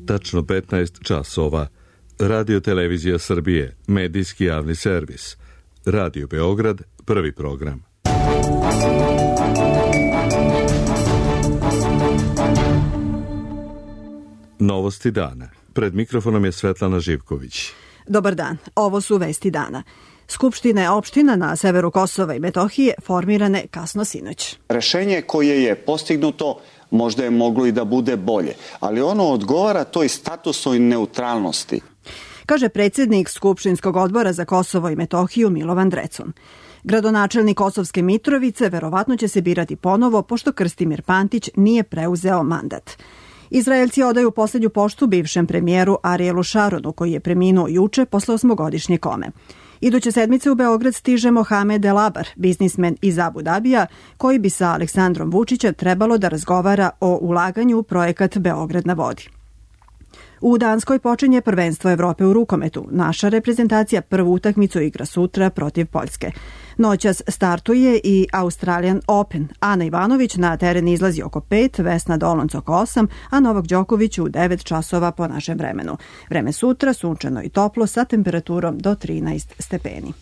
tačno 15 časova. Radio Televizija Srbije, medijski javni servis. Radio Beograd, prvi program. Novosti dana. Pred mikrofonom je Svetlana Živković. Dobar dan, ovo su vesti dana. Skupštine opština na severu Kosova i Metohije formirane kasno sinoć. Rešenje koje je postignuto možda je moglo i da bude bolje, ali ono odgovara toj statusnoj neutralnosti. Kaže predsjednik Skupštinskog odbora za Kosovo i Metohiju Milovan Drecun. Gradonačelnik Kosovske Mitrovice verovatno će se birati ponovo, pošto Krstimir Pantić nije preuzeo mandat. Izraelci odaju posljednju poštu bivšem premijeru Arielu Šaronu, koji je preminuo juče posle 8-godišnje kome. Iduće sedmice u Beograd stiže Mohamed El Abar, biznismen iz Abu Dabija, koji bi sa Aleksandrom Vučićem trebalo da razgovara o ulaganju u projekat Beograd na vodi. U Danskoj počinje prvenstvo Evrope u rukometu. Naša reprezentacija prvu utakmicu igra sutra protiv Poljske. Noćas startuje i Australian Open. Ana Ivanović na teren izlazi oko 5, Vesna Dolonc oko 8, a Novak Đoković u 9 časova po našem vremenu. Vreme sutra sunčano i toplo sa temperaturom do 13 stepeni.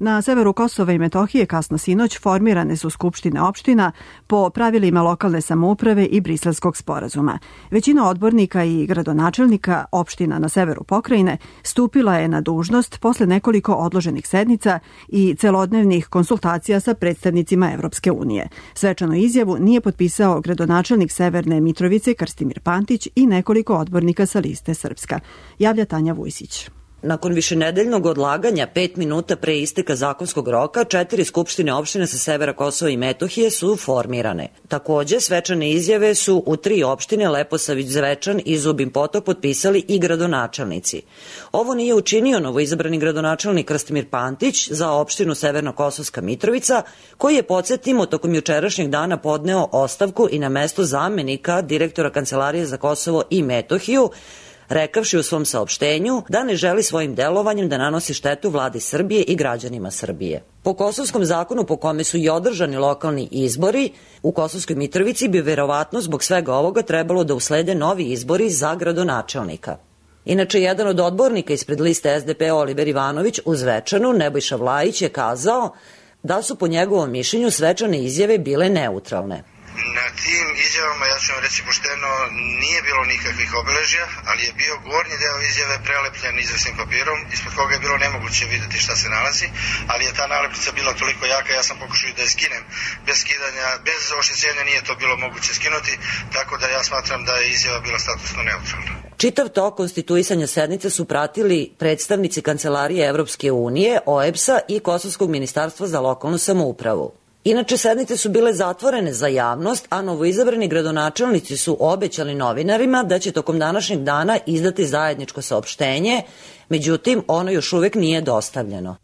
Na severu Kosova i Metohije kasno sinoć formirane su skupštine opština po pravilima lokalne samouprave i Briselskog sporazuma. Većina odbornika i gradonačelnika opština na severu pokrajine stupila je na dužnost posle nekoliko odloženih sednica i celodnevnih konsultacija sa predstavnicima Evropske unije. Svečanu izjavu nije potpisao gradonačelnik Severne Mitrovice Krstimir Pantić i nekoliko odbornika sa liste Srpska. Javlja Tanja Vujsić. Nakon višenedeljnog odlaganja 5 minuta pre isteka zakonskog roka, 4 skupštine opštine sa severa Kosova i Metohije su formirane. Takođe, svečane izjave su u 3 opštine Leposavić, Zvečan i Zubin Potok potpisali i gradonačelnici. Ovo nije učinio novoizabrani gradonačelnik Krstimir Pantić za opštinu Severno-Kosovska Mitrovica, koji je, podsjetimo, tokom jučerašnjeg dana podneo ostavku i na mesto zamenika direktora Kancelarije za Kosovo i Metohiju, rekavši u svom saopštenju da ne želi svojim delovanjem da nanosi štetu vladi Srbije i građanima Srbije. Po kosovskom zakonu po kome su i održani lokalni izbori, u Kosovskoj Mitrovici bi verovatno zbog svega ovoga trebalo da uslede novi izbori za gradonačelnika. Inače, jedan od odbornika ispred liste SDP Oliver Ivanović u Zvečanu, Nebojša Vlajić, je kazao da su po njegovom mišljenju svečane izjave bile neutralne. Na tim izjavama, ja ću vam reći pošteno, nije bilo nikakvih obeležja, ali je bio gornji deo izjave prelepljen izvesnim papirom, ispod koga je bilo nemoguće videti šta se nalazi, ali je ta nalepnica bila toliko jaka, ja sam pokušao da je skinem. Bez skidanja, bez oštećenja nije to bilo moguće skinuti, tako da ja smatram da je izjava bila statusno neutralna. Čitav tok konstituisanja sednice su pratili predstavnici Kancelarije Evropske unije, OEBS-a i Kosovskog ministarstva za lokalnu samoupravu. Inače, sednice su bile zatvorene za javnost, a novoizabrani gradonačelnici su obećali novinarima da će tokom današnjeg dana izdati zajedničko saopštenje, međutim, ono još uvek nije dostavljeno.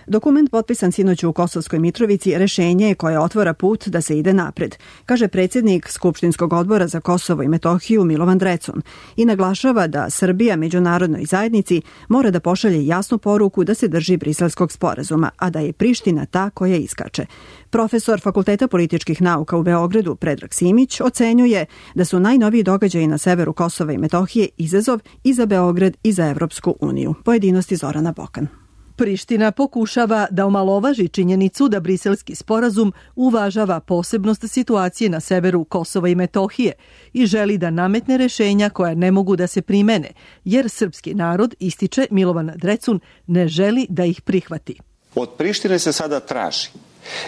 Dokument potpisan sinoć u Kosovskoj Mitrovici rešenje je koje otvara put da se ide napred, kaže predsjednik Skupštinskog odbora za Kosovo i Metohiju Milovan Drecun i naglašava da Srbija međunarodnoj zajednici mora da pošalje jasnu poruku da se drži Briselskog sporazuma, a da je Priština ta koja iskače. Profesor Fakulteta političkih nauka u Beogradu Predrag Simić ocenjuje da su najnoviji događaji na severu Kosova i Metohije izazov i za Beograd i za Evropsku uniju. Pojedinosti Zorana Bokan. Priština pokušava da omalovaži činjenicu da briselski sporazum uvažava posebnost situacije na severu Kosova i Metohije i želi da nametne rešenja koja ne mogu da se primene, jer srpski narod, ističe Milovan Drecun, ne želi da ih prihvati. Od Prištine se sada traži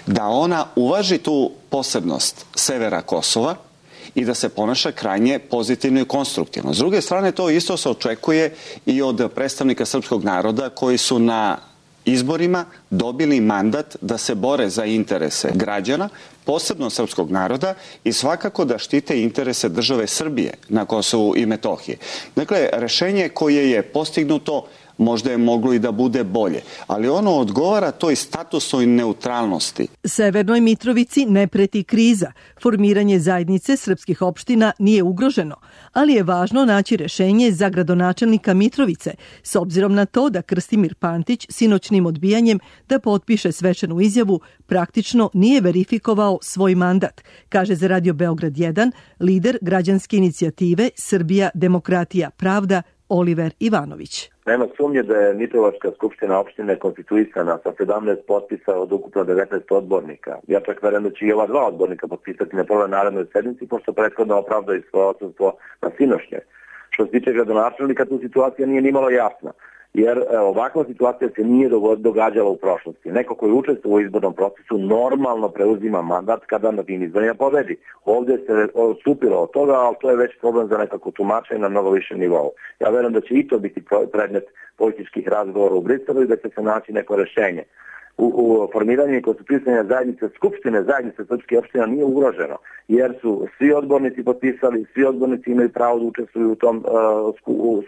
da ona uvaži tu posebnost severa Kosova i da se ponaša krajnje pozitivno i konstruktivno. S druge strane, to isto se očekuje i od predstavnika srpskog naroda koji su na izborima dobili mandat da se bore za interese građana, posebno srpskog naroda i svakako da štite interese države Srbije na Kosovu i Metohiji. Dakle, rešenje koje je postignuto možda je moglo i da bude bolje, ali ono odgovara toj statusnoj neutralnosti. Severnoj Mitrovici ne preti kriza. Formiranje zajednice srpskih opština nije ugroženo, ali je važno naći rešenje za gradonačelnika Mitrovice, s obzirom na to da Krstimir Pantić sinoćnim odbijanjem da potpiše svečanu izjavu praktično nije verifikovao svoj mandat, kaže za Radio Beograd 1 lider građanske inicijative Srbija, demokratija, pravda Oliver Ivanović. Nema sumnje da je Mitrovačka skupština opštine konstituisana sa 17 potpisa od ukupno 19 odbornika. Ja čak verujem da će i ova 2 odbornika potpisati na prvoj narednoj sednici, pošto prethodno opravdaju svoje odsustvo na sinošnje. Što se tiče gradonačelnika, tu situacija nije nimalo jasna, jer ovakva situacija se nije događala u prošlosti. Neko koji učestvuje u izbornom procesu normalno preuzima mandat kada na tim izborima pobedi. Ovdje se odstupilo od toga, ali to je već problem za nekako tumačenje na mnogo više nivou. Ja verujem da će i to biti predmet političkih razgovora u Briselu i da će se naći neko rešenje. U formiranju i konstituisanju zajednice srpskih opština nije ugroženo, jer su svi odbornici potpisali, svi odbornici imaju pravo da učestvuju u tom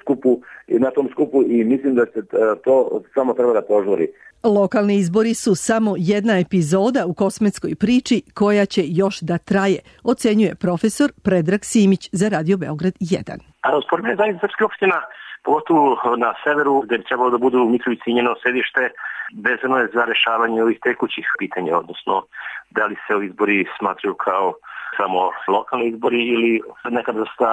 skupu i na tom skupu i mislim da se to samo treba da požuri. Lokalni izbori su samo jedna epizoda u kosmetskoj priči koja će još da traje, ocenjuje profesor Predrag Simić za Radio Beograd 1. Formiranje zajednice srpskih opština, pogotovo na severu, gde bi trebalo da budu u Mitrovici njeno sedište, vezano je za rešavanje ovih tekućih pitanja, odnosno da li se ovi izbori smatraju kao samo lokalni izbori ili neka vrsta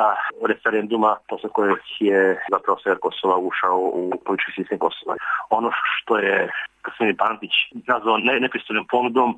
referenduma posle kojeg je zapravo sever Kosova ušao u politički sistem Kosova. Ono što je Krstimir Pantić nazvao nepristojnom ponudom,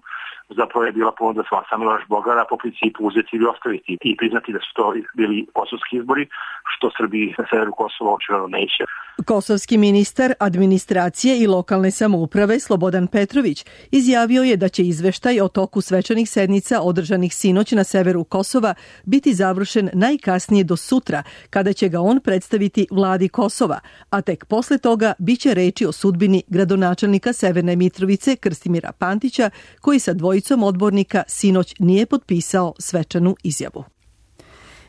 zapravo je bila ponuda sa Miloš Bogara po principu uzeti ili ostaviti i priznati da su to bili kosovski izbori, što Srbiji na severu Kosova očigledno neće. Kosovski ministar administracije i lokalne samouprave Slobodan Petrović izjavio je da će izveštaj o toku svečanih sednica održanih sinoć na severu Kosova biti završen najkasnije do sutra, kada će ga on predstaviti vladi Kosova, a tek posle toga biće reči o sudbini gradonačelnika Severne Mitrovice Krstimira Pantića, koji sa dvojicom odbornika sinoć nije potpisao svečanu izjavu.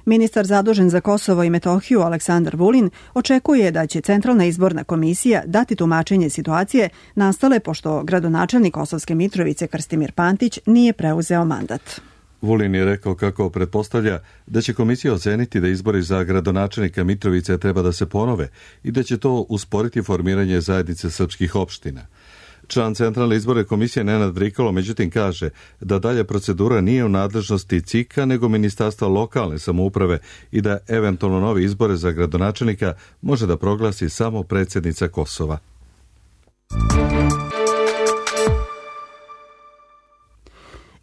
Ministar zadužen za Kosovo i Metohiju Aleksandar Vulin očekuje da će Centralna izborna komisija dati tumačenje situacije nastale pošto gradonačelnik Kosovske Mitrovice Krstimir Pantić nije preuzeo mandat. Vulin je rekao kako pretpostavlja da će komisija oceniti da izbori za gradonačelnika Mitrovice treba da se ponove i da će to usporiti formiranje zajednice srpskih opština. Član Centralne izborne komisije Nenad Vrikalo međutim kaže da dalje procedura nije u nadležnosti CIK-a nego Ministarstva lokalne samouprave i da eventualno novi izbore za gradonačelnika može da proglasi samo predsjednica Kosova.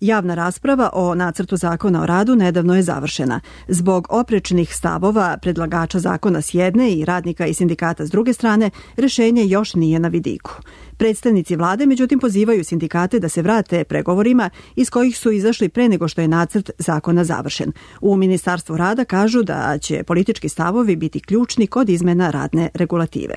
Javna rasprava o nacrtu zakona o radu nedavno je završena. Zbog oprečnih stavova predlagača zakona s jedne i radnika i sindikata s druge strane, rešenje još nije na vidiku. Predstavnici vlade međutim pozivaju sindikate da se vrate pregovorima iz kojih su izašli pre nego što je nacrt zakona završen. U Ministarstvu rada kažu da će politički stavovi biti ključni kod izmena radne regulative.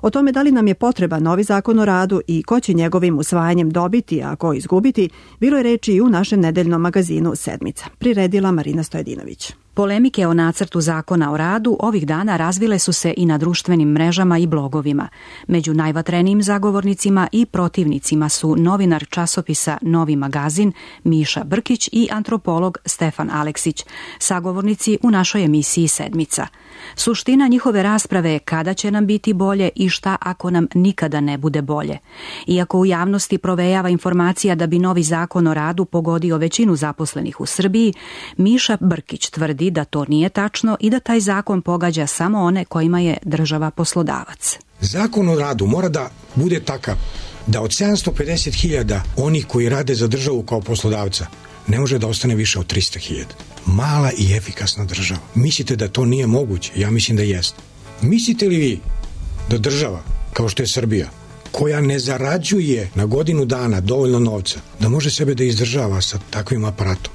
O tome da li nam je potreban novi zakon o radu i ko će njegovim usvajanjem dobiti, a ko izgubiti, bilo je reči i u našem nedeljnom magazinu Sedmica. Priredila Marina Stojedinović. Polemike o nacrtu zakona o radu ovih dana razvile su se i na društvenim mrežama i blogovima. Među najvatrenijim zagovornicima i protivnicima su novinar časopisa Novi magazin Miša Brkić i antropolog Stefan Aleksić, sagovornici u našoj emisiji Sedmica. Suština njihove rasprave je kada će nam biti bolje i šta ako nam nikada ne bude bolje. Iako u javnosti provejava informacija da bi novi zakon o radu pogodio većinu zaposlenih u Srbiji, Miša Brkić tvrdi da to nije tačno i da taj zakon pogađa samo one kojima je država poslodavac. Zakon o radu mora da bude takav da od 750.000 onih koji rade za državu kao poslodavca ne može da ostane više od 300.000. Mala i efikasna država. Mislite da to nije moguće? Ja mislim da jeste. Mislite li vi da država, kao što je Srbija, koja ne zarađuje na godinu dana dovoljno novca, da može sebe da izdržava sa takvim aparatom?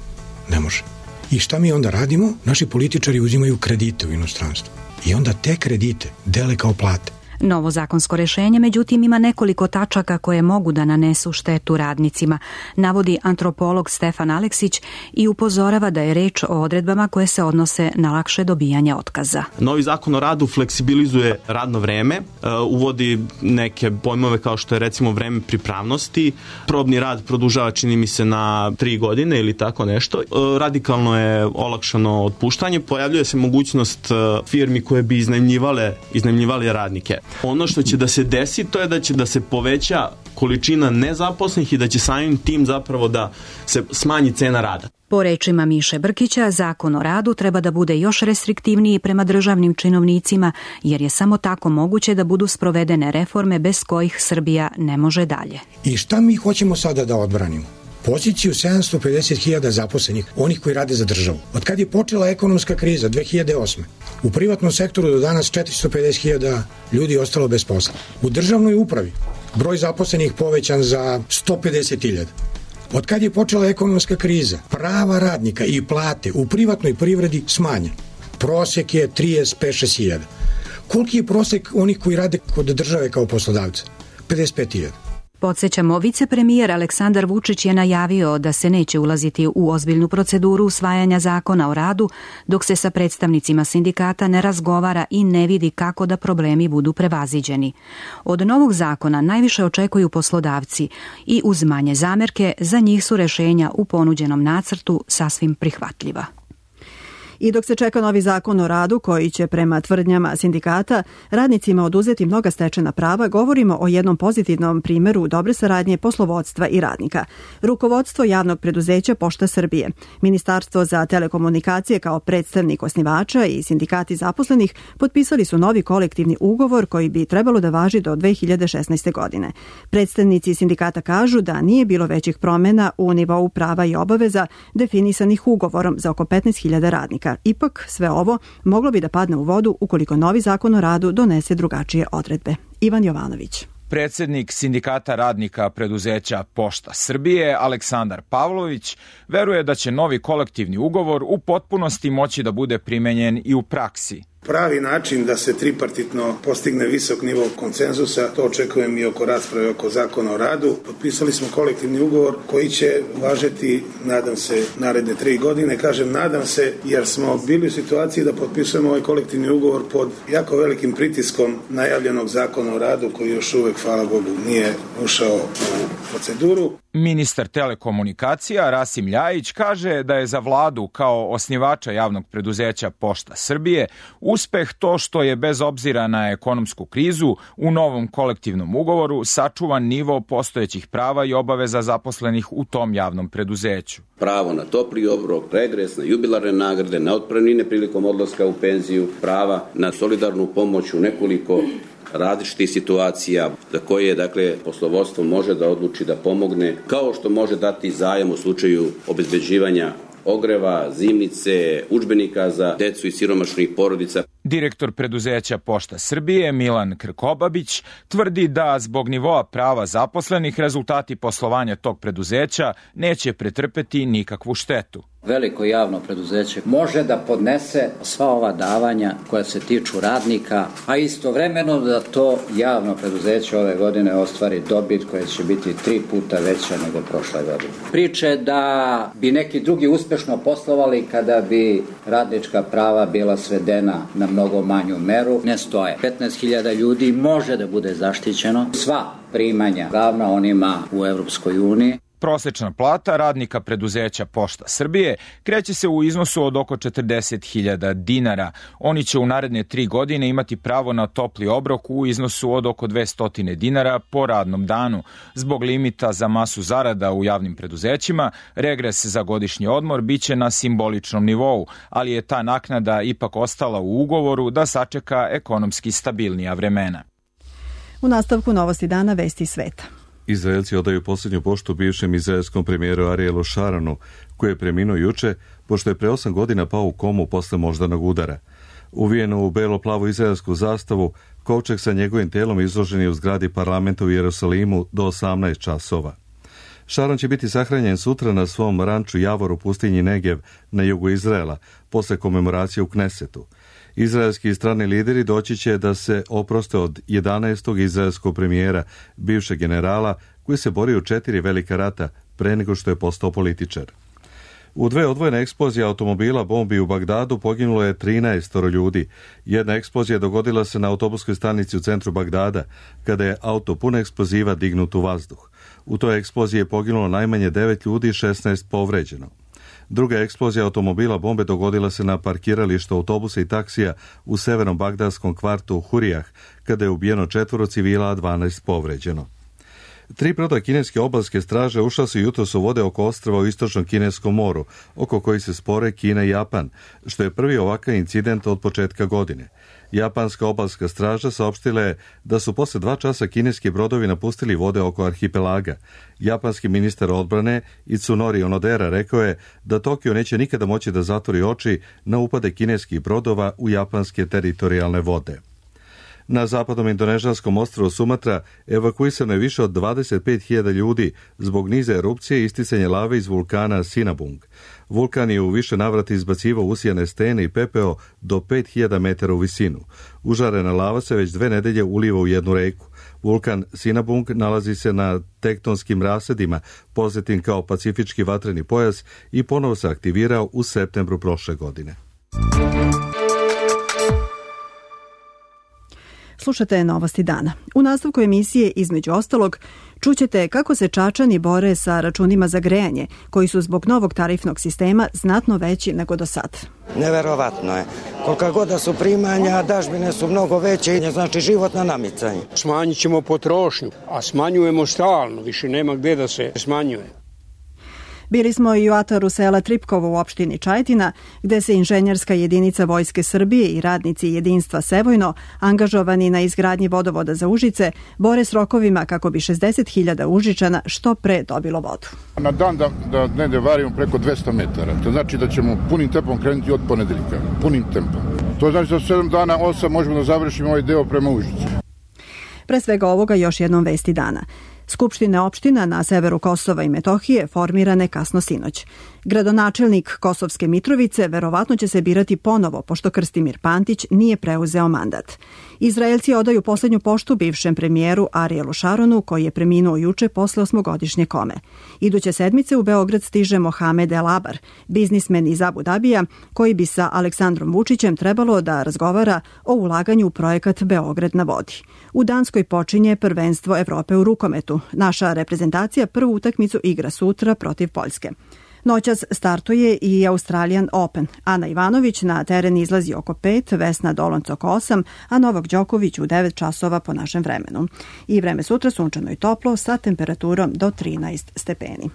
Ne može. I šta mi onda radimo? Naši političari uzimaju kredite u inostranstvu. I onda te kredite dele kao plate. Novo zakonsko rešenje, međutim, ima nekoliko tačaka koje mogu da nanesu štetu radnicima, navodi antropolog Stefan Aleksić i upozorava da je reč o odredbama koje se odnose na lakše dobijanje otkaza. Novi zakon o radu fleksibilizuje radno vreme, uvodi neke pojmove kao što je recimo vreme pripravnosti, probni rad produžava, čini mi se, na 3 godine ili tako nešto. Radikalno je olakšano otpuštanje, pojavljuje se mogućnost firmi koje bi iznajmljivale radnike. Ono što će da se desi, to je da će da se poveća količina nezaposlenih i da će samim tim zapravo da se smanji cena rada. Po rečima Miše Brkića, zakon o radu treba da bude još restriktivniji prema državnim činovnicima, jer je samo tako moguće da budu sprovedene reforme bez kojih Srbija ne može dalje. I šta mi hoćemo sada da odbranimo? Poziciju 750.000 zaposlenih, onih koji rade za državu. Od kad je počela ekonomska kriza 2008. U privatnom sektoru do danas 450.000 ljudi ostalo bez posla. U državnoj upravi broj zaposlenih povećan za 150.000. Od kad je počela ekonomska kriza, prava radnika i plate u privatnoj privredi smanjen. Prosek je 35.000. Koliki je prosek onih koji rade kod države kao poslodavca? 55.000. Podsjećamo, vicepremijer Aleksandar Vučić je najavio da se neće ulaziti u ozbiljnu proceduru usvajanja zakona o radu dok se sa predstavnicima sindikata ne razgovara i ne vidi kako da problemi budu prevaziđeni. Od novog zakona najviše očekuju poslodavci i uz manje zamerke za njih su rešenja u ponuđenom nacrtu sasvim prihvatljiva. I dok se čeka novi zakon o radu koji će prema tvrdnjama sindikata radnicima oduzeti mnoga stečena prava, govorimo o jednom pozitivnom primeru dobre saradnje poslovodstva i radnika. Rukovodstvo javnog preduzeća Pošta Srbije, Ministarstvo za telekomunikacije kao predstavnik osnivača i sindikati zaposlenih potpisali su novi kolektivni ugovor koji bi trebalo da važi do 2016. godine. Predstavnici sindikata kažu da nije bilo većih promjena u nivou prava i obaveza definisanih ugovorom za oko 15.000 radnika. Ipak, sve ovo moglo bi da padne u vodu ukoliko novi zakon o radu donese drugačije odredbe. Ivan Jovanović. Predsednik sindikata radnika preduzeća Pošta Srbije, Aleksandar Pavlović, veruje da će novi kolektivni ugovor u potpunosti moći da bude primenjen i u praksi. Pravi način da se tripartitno postigne visok nivo konsenzusa, to očekujem i oko rasprave oko zakona o radu. Potpisali smo kolektivni ugovor koji će važeti, nadam se, naredne 3 godine. Kažem nadam se jer smo bili u situaciji da potpisujemo ovaj kolektivni ugovor pod jako velikim pritiskom najavljenog zakona o radu koji još uvek, hvala Bogu, nije ušao u proceduru. Ministar telekomunikacija Rasim Ljajić kaže da je za vladu kao osnivača javnog preduzeća Pošta Srbije uspeh to što je bez obzira na ekonomsku krizu u novom kolektivnom ugovoru sačuvan nivo postojećih prava i obaveza zaposlenih u tom javnom preduzeću. Pravo na topli obrok, regres, na jubilarne nagrade, na otpremnine prilikom odlaska u penziju, prava na solidarnu pomoć u nekoliko različitih situacija za koje, dakle, poslovodstvo može da odluči da pomogne, kao što može dati zajam u slučaju obezbeđivanja ogreva, zimnice, udžbenika za decu i siromašnih porodica. Direktor preduzeća Pošta Srbije Milan Krkobabić tvrdi da zbog nivoa prava zaposlenih rezultati poslovanja tog preduzeća neće pretrpeti nikakvu štetu. Veliko javno preduzeće može da podnese sva ova davanja koja se tiču radnika, a istovremeno da to javno preduzeće ove godine ostvari dobit koja će biti 3 puta veća nego prošle godine. Priče da bi neki drugi uspešno poslovali kada bi radnička prava bila svedena na mnogo manju meru ne stoje. 15.000 ljudi može da bude zaštićeno, sva primanja ravna onima u Evropskoj uniji. Prosečna plata radnika preduzeća Pošta Srbije kreće se u iznosu od oko 40.000 dinara. Oni će u naredne 3 godine imati pravo na topli obrok u iznosu od oko 200 dinara po radnom danu. Zbog limita za masu zarada u javnim preduzećima, regres za godišnji odmor biće na simboličnom nivou, ali je ta naknada ipak ostala u ugovoru da sačeka ekonomski stabilnija vremena. U nastavku novosti dana vesti sveta. Izraelci odaju posljednju poštu bivšem izraelskom premijeru Arielu Šaronu, koji je preminuo juče, pošto je pre 8 godina pao u komu posle moždanog udara. Uvijenu u belo-plavu izraelsku zastavu, kovčeg sa njegovim telom izložen je u zgradi parlamenta u Jerusalimu do 18 časova. Šaron će biti sahranjen sutra na svom ranču Javor u pustinji Negev na jugu Izraela, posle komemoracije u Knesetu. Izraelski i strani lideri doći će da se oproste od 11. izraelskog premijera, bivšeg generala, koji se borio u 4 velika rata pre nego što je postao političar. U 2 odvojene eksplozije automobila bombi u Bagdadu poginulo je 13 ljudi. Jedna eksplozija dogodila se na autobuskoj stanici u centru Bagdada, kada je auto pun eksploziva dignut u vazduh. U toj eksploziji je poginulo najmanje 9 ljudi i 16 povređeno. Druga eksplozija automobila bombe dogodila se na parkiralištu autobusa i taksija u severnom bagdadskom kvartu Hurijah, kada je ubijeno 4 civila, a 12 povređeno. 3 broda kineske obalske straže ušla su jutros u vode oko ostrva u istočnom kineskom moru, oko koji se spore Kina i Japan, što je prvi ovakav incident od početka godine. Japanska obalska straža saopštila je da su posle 2 časa kineski brodovi napustili vode oko arhipelaga. Japanski ministar odbrane Itsunori Onodera rekao je da Tokio neće nikada moći da zatvori oči na upade kineskih brodova u japanske teritorijalne vode. Na zapadnom indonežanskom ostrvu Sumatra evakuisano je više od 25.000 ljudi zbog niza erupcije i isticanja lave iz vulkana Sinabung. Vulkan je u više navrata izbacivao usijane stene i pepeo do 5.000 metara u visinu. Užarena lava se već 2 nedelje uliva u jednu reku. Vulkan Sinabung nalazi se na tektonskim rasedima, poznatim kao Pacifički vatreni pojas, i ponovo se aktivirao u septembru prošle godine. Slušate Novosti dana. U nastavku emisije, između ostalog, čućete kako se Čačani bore sa računima za grejanje, koji su zbog novog tarifnog sistema znatno veći nego do sad. Neverovatno je. Kolika god da su primanja, dažbine su mnogo veće i znači život na namicanje. Smanjit ćemo potrošnju, a smanjujemo stalno, više nema gde da se smanjuje. Bili smo i u ataru sela Tripkovo u opštini Čajetina, gde se inženjerska jedinica Vojske Srbije i radnici jedinstva Sevojno, angažovani na izgradnji vodovoda za Užice, bore s rokovima kako bi 60.000 Užičana što pre dobilo vodu. Na dan da ne varimo preko 200 metara. To znači da ćemo punim tempom krenuti od ponedeljka. Punim tempom. To znači da 7 dana, 8 možemo da završimo ovaj deo prema Užicu. Pre svega ovoga još jednom vesti dana. Skupštine opština na severu Kosova i Metohije formirane kasno sinoć. Gradonačelnik Kosovske Mitrovice verovatno će se birati ponovo, pošto Krstimir Pantić nije preuzeo mandat. Izraelci odaju poslednju poštu bivšem premijeru Arielu Šaronu, koji je preminuo juče posle 8-godišnje kome. Iduće sedmice u Beograd stiže Mohamed El Abar, biznismen iz Abu Dabija, koji bi sa Aleksandrom Vučićem trebalo da razgovara o ulaganju u projekat Beograd na vodi. U Danskoj počinje prvenstvo Evrope u rukometu. Naša reprezentacija prvu utakmicu igra sutra protiv Poljske. Noćas startuje i Australian Open. Ana Ivanović na teren izlazi oko 5, Vesna Dolonc oko 8, a Novak Đoković u 9 časova po našem vremenu. I vreme sutra sunčano i toplo sa temperaturom do 13 stepeni.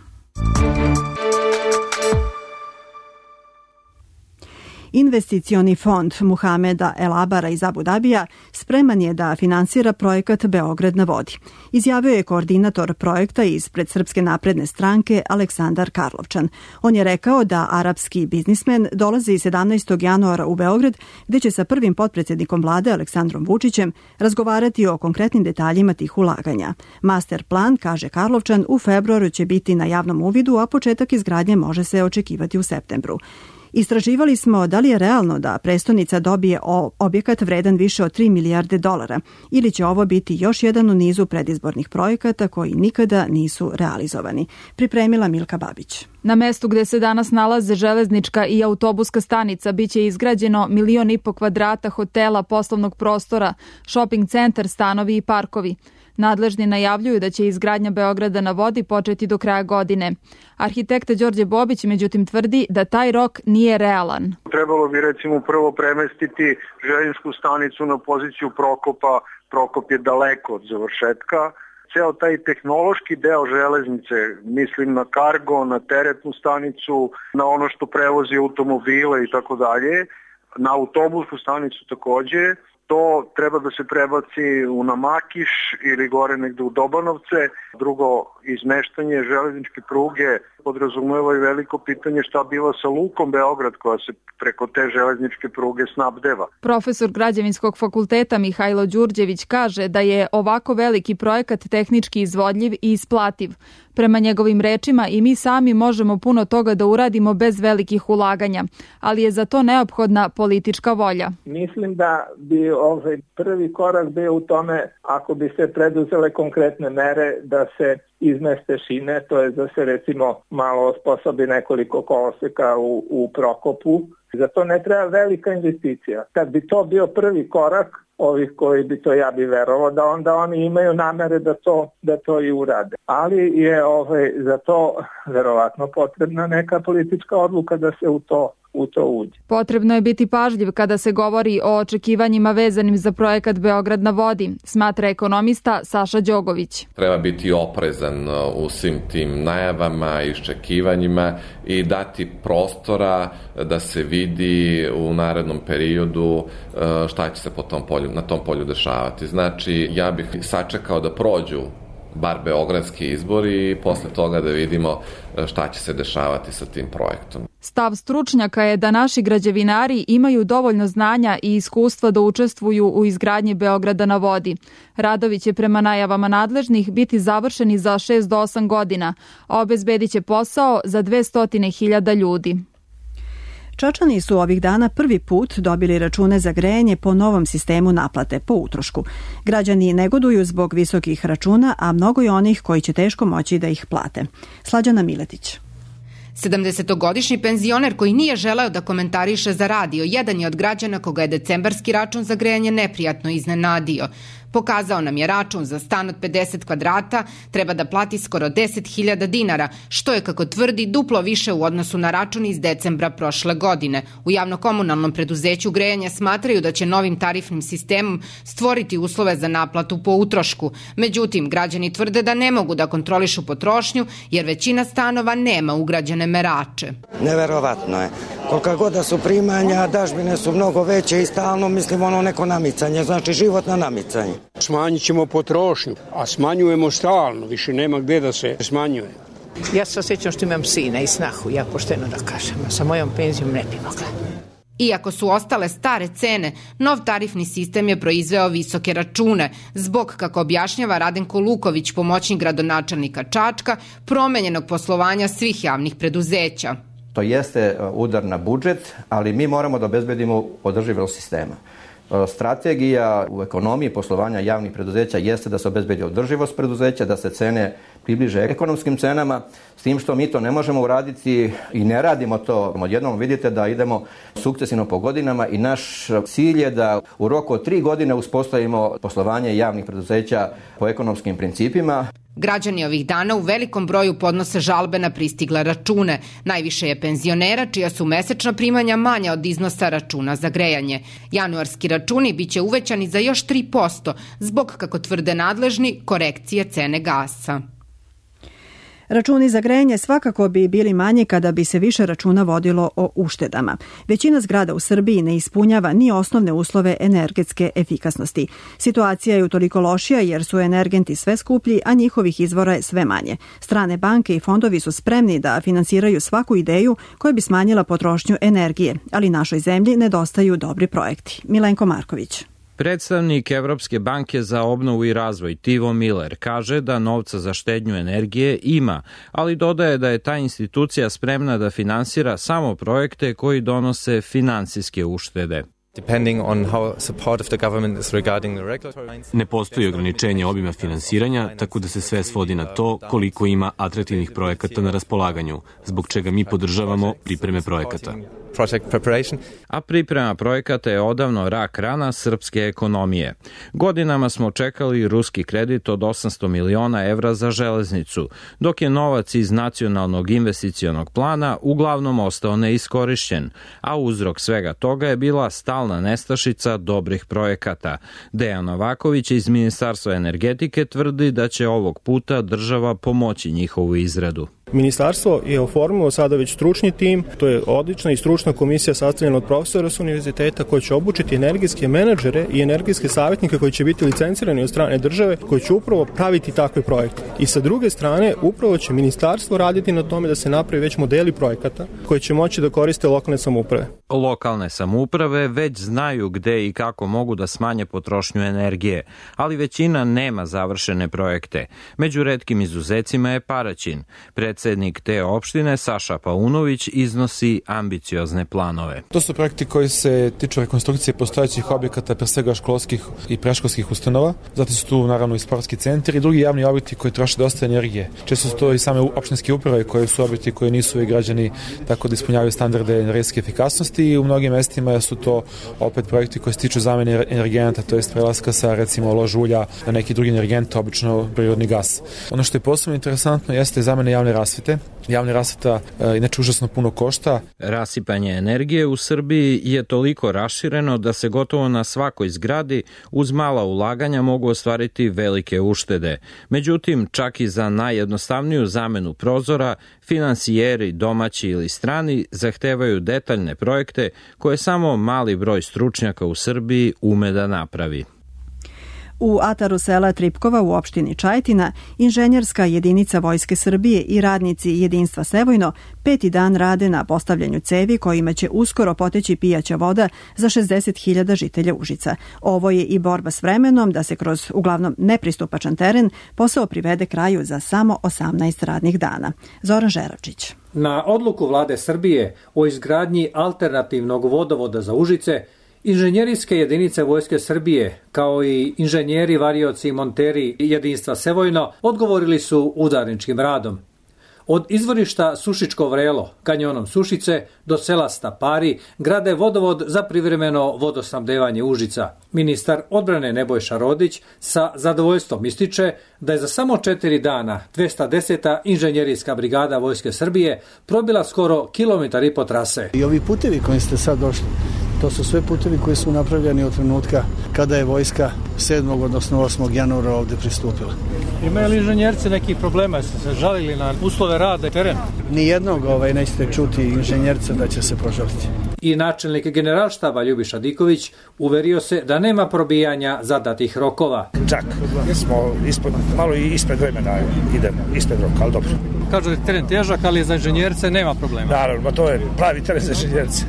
Investicioni fond Muhameda El Abara iz Abu Dabija spreman je da finansira projekat Beograd na vodi. Izjavio je koordinator projekta ispred Srpske napredne stranke Aleksandar Karlovčan. On je rekao da arapski biznismen dolazi 17. januara u Beograd, gde će sa prvim potpredsjednikom vlade Aleksandrom Vučićem razgovarati o konkretnim detaljima tih ulaganja. Master plan, kaže Karlovčan, u februaru će biti na javnom uvidu, a početak izgradnje može se očekivati u septembru. Istraživali smo da li je realno da prestonica dobije objekat vredan više od 3 milijarde dolara ili će ovo biti još jedan u nizu predizbornih projekata koji nikada nisu realizovani. Pripremila Milka Babić. Na mestu gde se danas nalaze železnička i autobuska stanica biće izgrađeno 1,5 miliona kvadrata hotela, poslovnog prostora, shopping centar, stanovi i parkovi. Nadležni najavljuju da će izgradnja Beograda na vodi početi do kraja godine. Arhitekta Đorđe Bobić međutim tvrdi da taj rok nije realan. Trebalo bi recimo prvo premestiti željezničku stanicu na poziciju Prokopa. Prokop je daleko od završetka. Ceo taj tehnološki deo železnice, mislim na kargo, na teretnu stanicu, na ono što prevozi automobile i tako dalje, na autobusku stanicu takođe, to treba da se prebaci u Namakiš ili gore negde u Dobanovce. Drugo, izmeštanje železničke pruge podrazumeva i veliko pitanje šta biva sa lukom Beograd koja se preko te železničke pruge snabdeva. Profesor Građevinskog fakulteta Mihajlo Đurđević kaže da je ovako veliki projekat tehnički izvodljiv i isplativ. Prema njegovim rečima i mi sami možemo puno toga da uradimo bez velikih ulaganja, ali je za to neophodna politička volja. Mislim da bi prvi korak bio u tome ako bi se preduzele konkretne mere da se izmeste šine, to je da se recimo malo osposobi nekoliko koloseka u Prokopu. Za to ne treba velika investicija. Kad bi to bio prvi korak, ovih koji bi to, ja bi verovao da onda oni imaju namere da to i urade. Ali je za to verovatno potrebna neka politička odluka da se u to uđe. Potrebno je biti pažljiv kada se govori o očekivanjima vezanim za projekat Beograd na vodi, smatra ekonomista Saša Đogović. Treba biti oprezan u svim tim najavama i iščekivanjima i dati prostora da se vidi u narednom periodu šta će se na tom polju dešavati. Znači, ja bih sačekao da prođu bar beogradski izbori i posle toga da vidimo šta će se dešavati sa tim projektom. Stav stručnjaka je da naši građevinari imaju dovoljno znanja i iskustva da učestvuju u izgradnji Beograda na vodi. Radovi će prema najavama nadležnih biti završeni za 6 do 8 godina, a obezbedit će posao za 200.000 ljudi. Čačani su ovih dana prvi put dobili račune za grejanje po novom sistemu naplate po utrošku. Građani negoduju zbog visokih računa, a mnogo je onih koji će teško moći da ih plate. Slađana Miletić. 70-godišnji penzioner koji nije želeo da komentariše za radio, jedan je od građana koga je decembarski račun za grejanje neprijatno iznenadio. Pokazao nam je račun za stan od 50 kvadrata, treba da plati skoro 10.000 dinara, što je, kako tvrdi, duplo više u odnosu na račun iz decembra prošle godine. U javno-komunalnom preduzeću grejanja smatraju da će novim tarifnim sistemom stvoriti uslove za naplatu po utrošku. Međutim, građani tvrde da ne mogu da kontrolišu potrošnju jer većina stanova nema ugrađene merače. Neverovatno je. Kolika god da su primanja, dažbine su mnogo veće i stalno neko namicanje, znači životno namicanje. Smanjit ćemo potrošnju, a smanjujemo stalno, više nema gde da se smanjuje. Ja se osjećam što imam sina i snahu, ja pošteno da kažem, sa mojom penzijom ne bi mogla. Iako su ostale stare cene, nov tarifni sistem je proizveo visoke račune, zbog, kako objašnjava Radenko Luković, pomoćnik gradonačelnika Čačka, promenjenog poslovanja svih javnih preduzeća. To jeste udar na budžet, ali mi moramo da obezbedimo održivost sistema. Strategija u ekonomiji poslovanja javnih preduzeća jeste da se obezbedi održivost preduzeća, da se cene približe ekonomskim cenama, s tim što mi to ne možemo uraditi i ne radimo to. Odjednom vidite da idemo sukcesivno po godinama i naš cilj je da u roku od 3 godine uspostavimo poslovanje javnih preduzeća po ekonomskim principima. Građani ovih dana u velikom broju podnose žalbe na pristigle račune. Najviše je penzionera čija su mesečna primanja manja od iznosa računa za grejanje. Januarski računi biće uvećani za još 3% zbog, kako tvrde nadležni, korekcije cene gasa. Računi za grejanje svakako bi bili manji kada bi se više računa vodilo o uštedama. Većina zgrada u Srbiji ne ispunjava ni osnovne uslove energetske efikasnosti. Situacija je utoliko lošija jer su energenti sve skuplji, a njihovih izvora je sve manje. Strane banke i fondovi su spremni da finansiraju svaku ideju koja bi smanjila potrošnju energije, ali našoj zemlji nedostaju dobri projekti. Milenko Marković. Predstavnik Evropske banke za obnovu i razvoj Tivo Miller kaže da novca za štednju energije ima, ali dodaje da je ta institucija spremna da finansira samo projekte koji donose finansijske uštede. Ne postoji ograničenje obima finansiranja, tako da se sve svodi na to koliko ima atraktivnih projekata na raspolaganju, zbog čega mi podržavamo pripreme projekata. A priprema projekata je odavno rak rana srpske ekonomije. Godinama smo čekali ruski kredit od 800 miliona evra za železnicu, dok je novac iz nacionalnog investicionog plana uglavnom ostao neiskorišćen, a uzrok svega toga je bila stalna nestašica dobrih projekata. Dejan Novaković iz Ministarstva energetike tvrdi da će ovog puta država pomoći njihovu izradu. Ministarstvo je oformilo sada već stručni tim, to je odlična i stručna komisija sastavljena od profesora s univerziteta koji će obučiti energetske menadžere i energetske savjetnike koji će biti licencirani od strane države, koji će upravo praviti takve projekte. I sa druge strane, upravo će ministarstvo raditi na tome da se napravi već modeli projekata koji će moći da koriste lokalne samouprave. Lokalne samouprave već znaju gde i kako mogu da smanje potrošnju energije, ali većina nema završene projekte. Među retkim izuzecima je Paraćin. Predsednik te opštine, Saša Paunović, iznosi ambiciozne planove. To su projekti koji se tiču rekonstrukcije postojećih objekata, pre svega školskih i predškolskih ustanova. Zatim su tu naravno i sportski centri i drugi javni objekti koji troše dosta energije. Često su to i same opštinske uprave koje su objekti koji nisu i građani tako da ispunjavaju standarde energetske efikasnosti i u mnogim mestima su to opet projekti koji se tiču zamene energenata, to jest prelaska sa recimo lož ulja na neki drugi energent, obično prirodni gas. Ono što je posebno interesantno jeste zamena javne rasvete. Javna rasveta inače užasno puno košta. Rasipanje energije u Srbiji je toliko rašireno da se gotovo na svakoj zgradi uz mala ulaganja mogu ostvariti velike uštede. Međutim, čak i za najjednostavniju zamenu prozora, finansijeri, domaći ili strani, zahtevaju detaljne projekte koje samo mali broj stručnjaka u Srbiji ume da napravi. U ataru sela Tripkova u opštini Čajetina, inženjerska jedinica Vojske Srbije i radnici Jedinstva Sevojno 5. dan rade na postavljanju cevi kojima će uskoro poteći pijaća voda za 60.000 žitelja Užica. Ovo je i borba s vremenom da se kroz uglavnom nepristupačan teren posao privede kraju za samo 18 radnih dana. Zoran Žeravčić. Na odluku vlade Srbije o izgradnji alternativnog vodovoda za Užice, inženjerijske jedinice Vojske Srbije, kao i inženjeri, varioci i monteri Jedinstva Sevojno, odgovorili su udarničkim radom. Od izvorišta Sušičko Vrelo, kanjonom Sušice, do sela Stapari, grade vodovod za privremeno vodosnabdevanje Užica. Ministar odbrane Nebojša Rodić sa zadovoljstvom ističe da je za samo 4 dana 210. inženjerijska brigada Vojske Srbije probila skoro 1,5 km trase. I ovi putevi koji ste sad došli, to su sve putevi koji su napravljeni od trenutka kada je vojska 7. odnosno 8. januara ovde pristupila. Imaju li inženjerci nekih problema? Ste se žalili na uslove rada i teren? Nijednog nećete čuti inženjerca da će se požaliti. I načelnik generalštaba Ljubiša Diković uverio se da nema probijanja zadatih rokova. Čak smo malo i ispred vremena idemo, ispred roka, ali dobro. Kažu da je teren težak, ali za inženjerce nema problema. Naravno, to je pravi teren za inženjerce.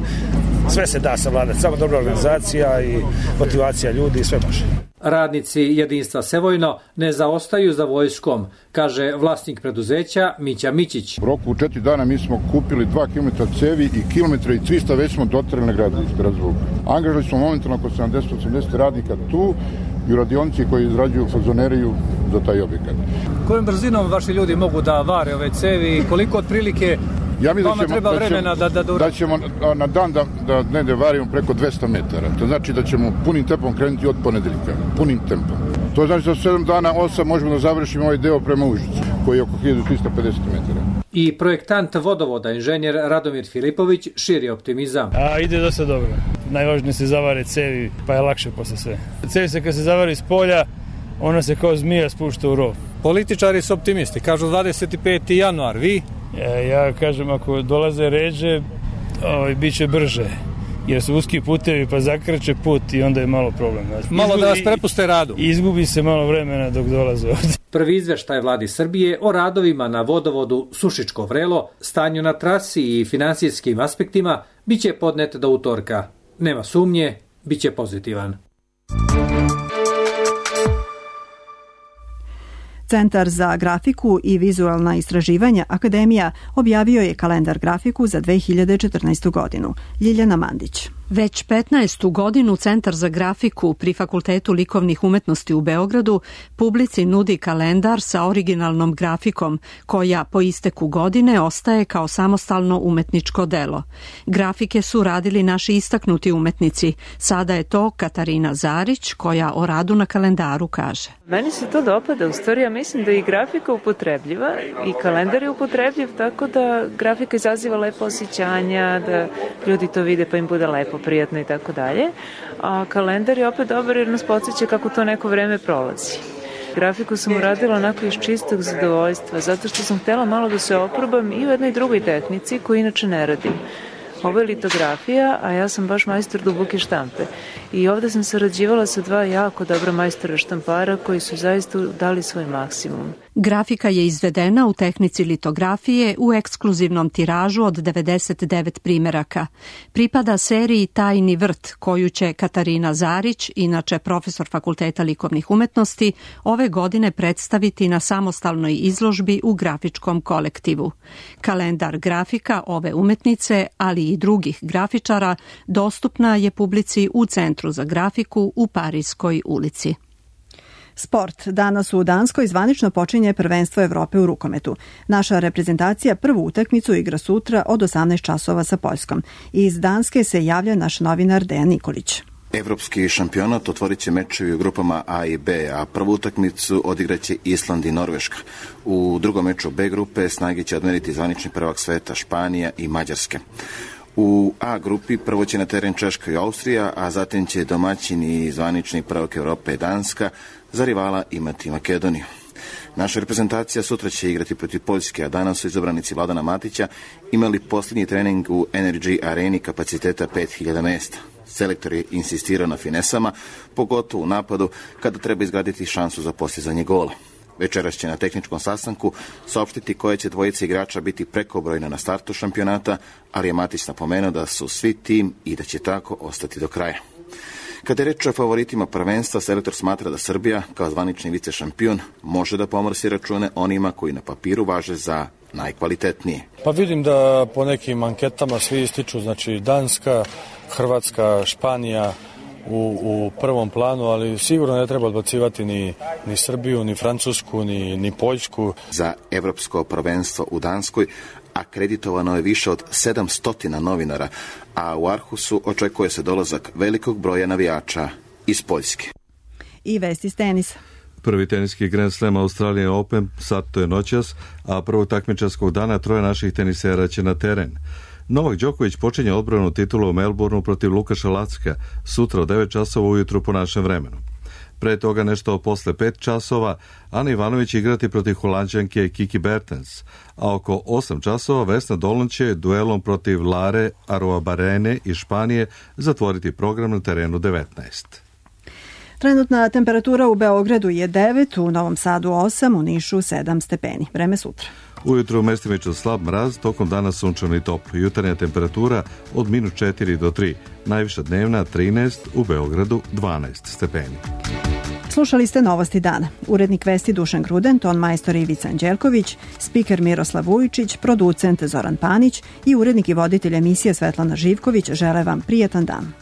Sve se da savladati, samo dobra organizacija i motivacija ljudi, sve može. Radnici Jedinstva Sevojno ne zaostaju za vojskom, kaže vlasnik preduzeća Mića Mićić. U roku 4 dana mi smo kupili 2 km cevi i kilometra i 300 već smo dotrali na gradilište razvuka. Angažali smo momentalno oko 70-80 radnika tu i u radionici koji izrađuju fazoneriju za taj objekat. Kojom brzinom vaši ljudi mogu da vare ove cevi i koliko otprilike vama treba vremena da ćemo na dan da negde varimo preko 200 metara. To znači da ćemo punim tempom krenuti od ponedeljka. Punim tempom. To znači da 7 dana, 8 možemo da završimo ovaj deo prema Užicu, koji je oko 1350 metara. I projektant vodovoda, inženjer Radomir Filipović, širi optimizam. Ide dosta dobro. Najvažnije se zavare cevi, pa je lakše posle sve. Cevi se kad se zavari iz polja, ona se kao zmija spušta u rov. Političari su optimisti, kažu 25. januar, vi? Ja kažem, ako dolaze ređe, bit će brže, jer su uski putevi pa zakrče put i onda je malo problem. Malo da vas prepuste radu. Izgubi se malo vremena dok dolaze ovde. Prvi izveštaj vladi Srbije o radovima na vodovodu Sušičko Vrelo, stanju na trasi i finansijskim aspektima biće podnet do utorka. Nema sumnje, biće pozitivan. Centar za grafiku i vizualna istraživanja Akademija objavio je kalendar grafiku za 2014. godinu. Ljiljana Mandić. Već 15. godinu Centar za grafiku pri Fakultetu likovnih umetnosti u Beogradu publici nudi kalendar sa originalnom grafikom, koja po isteku godine ostaje kao samostalno umetničko delo. Grafike su radili naši istaknuti umetnici. Sada je to Katarina Zarić, koja o radu na kalendaru kaže. Meni se to dopada, u stvari ja mislim da je i grafika upotrebljiva i kalendar je upotrebljiv, tako da grafika izaziva lepo osjećanja, da ljudi to vide pa im bude lepo, prijatno i tako dalje. A kalendar je opet dobar jer nas podsjeća kako to neko vreme prolazi. Grafiku sam uradila onako iz čistog zadovoljstva, zato što sam htjela malo da se oprobam i u jednoj drugoj tehnici koju inače ne radim. Ovo je litografija, a ja sam baš majstor duboke štampe. I ovde sam sarađivala sa dva jako dobra majstora štampara koji su zaista dali svoj maksimum. Grafika je izvedena u tehnici litografije u ekskluzivnom tiražu od 99 primeraka. Pripada seriji Tajni vrt, koju će Katarina Zarić, inače profesor Fakulteta likovnih umetnosti, ove godine predstaviti na samostalnoj izložbi u grafičkom kolektivu. Kalendar grafika ove umetnice, ali i drugih grafičara, dostupna je publici u Centru za grafiku u Parijskoj ulici. Sport. Danas u Danskoj zvanično počinje prvenstvo Evrope u rukometu. Naša reprezentacija prvu utakmicu igra sutra od 18 časova sa Poljskom. Iz Danske se javlja naš novinar Dejan Nikolić. Evropski šampionat otvorit će mečevi u grupama A i B, a prvu utakmicu odigraće Island i Norveška. U drugom meču B grupe snage će odmeriti zvanični prvak sveta Španija i Mađarske. U A grupi prvo će na teren Češka i Austrija, a zatim će domaćini i zvanični prvak Evrope Danska za rivala imati Makedoniju. Naša reprezentacija sutra će igrati protiv Poljske, a danas su izabranici Vladana Matića imali posljednji trening u Energy Areni kapaciteta 5000 mjesta. Selektor je insistirao na finesama, pogotovo u napadu kada treba izgraditi šansu za postizanje gola. Večeras će na tehničkom sastanku saopštiti koje će dvojice igrača biti prekobrojna na startu šampionata, ali je Matić napomenuo da su svi tim i da će tako ostati do kraja. Kada je reč o favoritima prvenstva, selektor smatra da Srbija, kao zvanični vice šampion, može da pomorsi račune onima koji na papiru važe za najkvalitetnije. Pa vidim da po nekim anketama svi ističu, znači Danska, Hrvatska, Španija u prvom planu, ali sigurno ne treba odbacivati ni Srbiju, ni Francusku, ni Poljsku. Za evropsko prvenstvo u Danskoj akreditovano je više od 700 novinara, a u Arhusu očekuje se dolazak velikog broja navijača iz Poljske. I vesti s tenisa. Prvi teniski Grand Slam Australian Open startuje noćas, a prvog takmičarskog dana 3 naših tenisera će na teren. Novak Đoković počinje odbranu titula u Melbourneu protiv Lukaša Lacka sutra od 9 časova ujutru po našem vremenu. Pre toga nešto posle 5 časova Ana Ivanović igrati protiv Holanđanke Kiki Bertens, a oko 8 časova Vesna Dolan će duelom protiv Lare Arruabarrene iz Španije zatvoriti program na terenu 19. Trenutna temperatura u Beogradu je 9, u Novom Sadu 8, u Nišu 7 stepeni. Vreme sutra. Ujutru mestimično slab mraz, tokom dana sunčano i toplo. Jutarnja temperatura od -4 do 3, najviša dnevna 13, u Beogradu 12 stepeni. Slušali ste Novosti dana. Urednik vesti Dušan Gruden, ton majstor Ivica Anđelković, spiker Miroslav Vujičić, producent Zoran Panić i urednik i voditelj emisije Svetlana Živković žele vam prijetan dan.